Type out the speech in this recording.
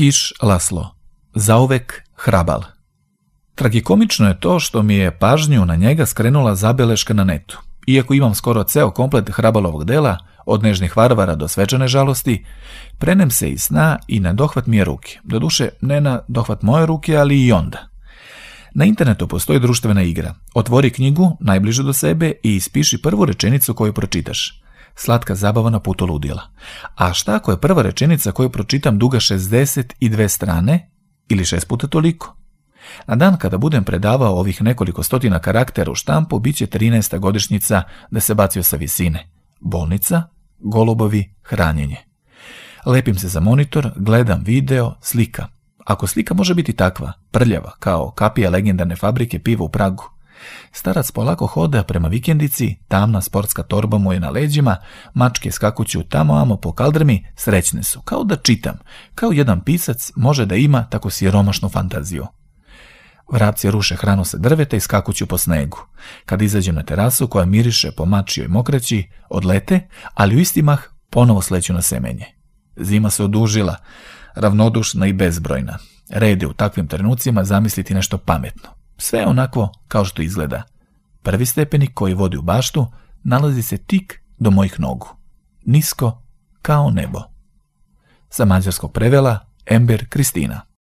Kiš Laslo. Zauvek hrabal. Tragikomično je to što mi je pažnju na njega skrenula zabeleška na netu. Iako imam skoro ceo komplet hrabalovog dela, od nežnih varvara do svečane žalosti, prenem se iz sna i na dohvat mi je ruke. Doduše, ne na dohvat moje ruke, ali i onda. Na internetu postoji društvena igra. Otvori knjigu, najbliže do sebe, i ispiši prvu rečenicu koju pročitaš. Slatka zabava na putu ludila. A šta ako je prva rečenica koju pročitam duga 62 strane ili 6 puta toliko? Na dan kada budem predavao ovih nekoliko stotina karaktera u štampu, bit će 13. godišnjica da se bacio sa visine. Bolnica, golubovi, hranjenje. Lepim se za monitor, gledam video, slika. Ako slika može biti takva, prljava, kao kapija legendarne fabrike piva u Pragu. Starac polako hoda prema vikendici, tamna sportska torba mu je na leđima, mačke skakuću tamo-amo po kaldrmi, srećne su, kao da čitam, kao jedan pisac može da ima tako siromašnu fantaziju. Vrapci ruše hranu sa drveta i skakuću po snegu. Kad izađem na terasu koja miriše po mačijoj mokreći, odlete, ali u isti mah ponovo sleću na semenje. Zima se odužila, ravnodušna i bezbrojna. Red je u takvim trenucima zamisliti nešto pametno. Sve onako kao što izgleda. Prvi stepenik koji vodi u baštu nalazi se tik do mojih nogu. Nisko kao nebo. Sa mađarskog prevela Ember Kristina.